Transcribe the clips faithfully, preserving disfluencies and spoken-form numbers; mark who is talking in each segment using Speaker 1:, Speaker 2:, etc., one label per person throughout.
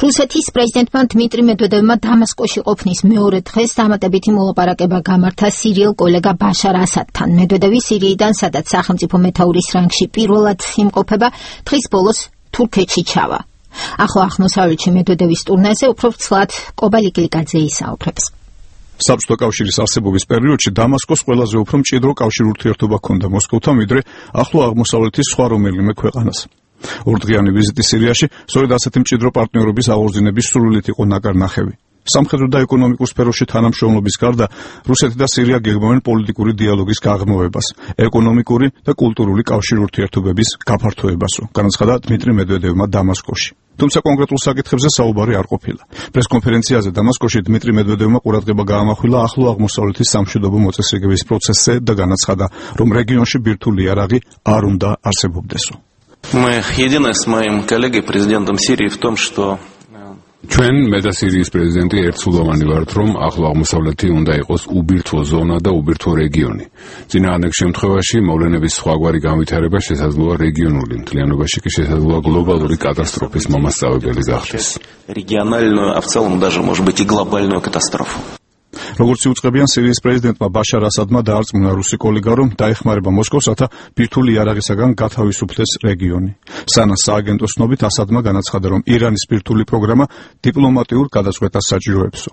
Speaker 1: რუსეთის პრეზიდენტმა დმიტრი მედვედევმა დამასკოში ყოფნის მეორე დღეს დამატებითი მოლაპარაკება გამართა სირიელ კოლეგა ბაშარ ასადთან. მედვედევი სირიიდან, სადაც სახელმწიფო მეთაურის რანგში პირველად იმყოფება, დღის ბოლოს თურქეთში ჩავა. ახლო აღმოსავლეთში მედვედევის ტურნეზე უფრო ცლად კობალი გლიკაძე ისაუბრებს.
Speaker 2: საბჭოთა კავშირის არსებობის პერიოდში დამასკოს ყველაზე უფრო მჭიდრო კავშირ ურთიერთობა ჰქონდა მოსკოვთან, ვიდრე ახლო აღმოსავლეთის სხვა რომელიმე ქვეყანას. ორდღიანი ვიზიტი სირიაში სწორედ ასეთი მჭიდრო პარტნიორობის აღორძინების სრულიად იყო ნაკარნახევი. სამხედრო და ეკონომიკურ სფეროში თანამშრომლობის გარდა რუსეთი და სირია გეგმავენ პოლიტიკური დიალოგის გაღრმავებას, ეკონომიკური და კულტურული კავშირ ურთიერთობების გაფართოებასო, განაცხადა დმიტრი მედვედევმა დამასკოში. თუმცა კონკრეტულ საკითხებზე საუბარი არ ყოფილა. პრესკონფერენციაზე დამასკოში დმიტრი მედვედევმა ყურადღება გაამახვილა ახლო აღმოსავლეთის სამშვიდობო მოწესრიგების პროცესზე და განაცხადა, რომ რეგიონში ბირთვული იარაღი არ უნდა არსებობდესო.
Speaker 3: Мы едины с моим коллегой президентом Сирии в том, что
Speaker 4: ჩვენ მე და სირიის პრეზიდენტი ერთსულოვანი ვართ, რომ ახლო აღმოსავლეთი უნდა იყოს უბირთვო ზონა და უბირთვო რეგიონი. წინააღმდეგ შემთხვევაში მოვლენების სხვაგვარი განვითარება შესაძლოა რეგიონული, მთლიანობაში კი შესაძლოა გლობალური კატასტროფის მომასწავებელი გახდეს.
Speaker 3: Региональную, а в целом даже, может быть, и глобальную катастрофу.
Speaker 2: როგორც იუწყებიან სირიის პრეზიდენტმა ბაშარ ასადმა დაარწმუნა რუსი კოლეგა, რომ დაეხმარება მოსკოვსათა ბირთვული იარაღისაგან გათავისუფლდეს რეგიონი. სანას სააგენტოს ცნობით ასადმა განაცხადა, რომ ირანის ბირთვული პროგრამა დიპლომატიურ გადაწყვეტას საჭიროებსო.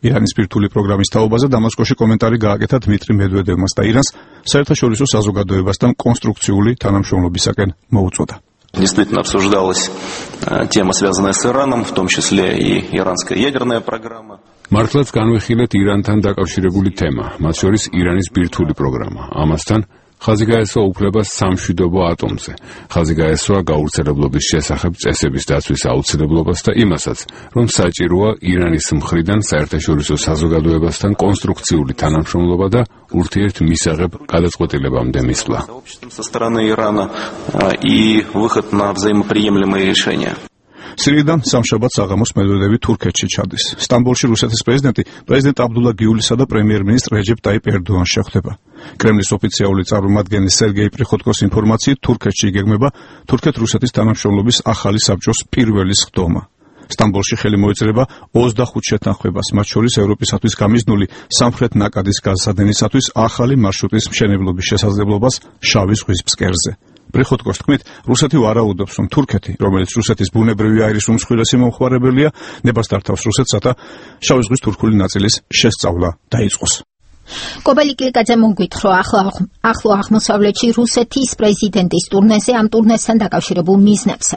Speaker 2: ირანის ბირთვული პროგრამის თაობაზე დამასკოში კომენტარი გააკეთა დმიტრი მედვედევმას და ირანს საერთაშორისო საზოგადოებასთან კონსტრუქციული თანამშრომლობისაკენ მოუწოდა.
Speaker 3: Действительно обсуждалась тема, связанная с Ираном, в том числе и иранская ядерная программа.
Speaker 4: მართლაც განვიხილეთ ირანთან დაკავშირებული თემა, მათ შორის ირანის ბირთვული პროგრამა. ამასთან ხაზი გაესვა უფლებას სამშვიდობო ატომზე. ხაზი გაესვა გაურცელებლობის შესახებ წესების დაცვის აუცილებლობას და იმასაც, რომ საჭიროა ირანის მხრიდან საერთაშორისო საზოგადოებასთან კონსტრუქციული თანამშრომლობა და ურთიერთმისაღებ გადაწყვეტილებამდე მისვლა.
Speaker 3: Со стороны Ирана и выход на взаимоприемлемые решения.
Speaker 2: სირიიდან სამშაბათს საღამოს მედვედევი თურქეთში ჩადის. სტამბოლში რუსეთის პრეზიდენტი პრეზიდენტ აბდულა გიულისა და პრემიერ-მინისტრ რეჯეპ ტაიპ ერდოანს შეხვდება. კრემლის ოფიციალური წარმომადგენლის სერგეი პრიხოტკოს ინფორმაციით თურქეთში იგეგმება თურქეთ-რუსეთის თანამშრომლობის ახალი საბჭოს პირველი სხდომა. სტამბოლში ხელი მოეწერება ოცდახუთ შეთანხმებას, მათ შორის ევროპისათვის გამიზნული სამხრეთ ნაკადის გაზსადენისათვის ახალი მარშრუტის მშენებლობის შესაძლებლობას შავი ზღვის ფსკერზე. პრიხოტკოს თქმით, რუსეთი ვარაუდობს, რომ თურქეთი, რომელიც რუსეთის ბუნებრივი აირის უმსხვილესი მომხმარებელია, ნებას დართავს რუსეთსა შავი ზღვის თურქული ნაწილის შესწავლა დაიწყოს.
Speaker 1: კობალი გლიკაძე მოგვითხრა ახლო აღმოსავლეთში რუსეთის პრეზიდენტის ტურნეზე ამ ტურნესთან დაკავშირებულ მიზნებზე.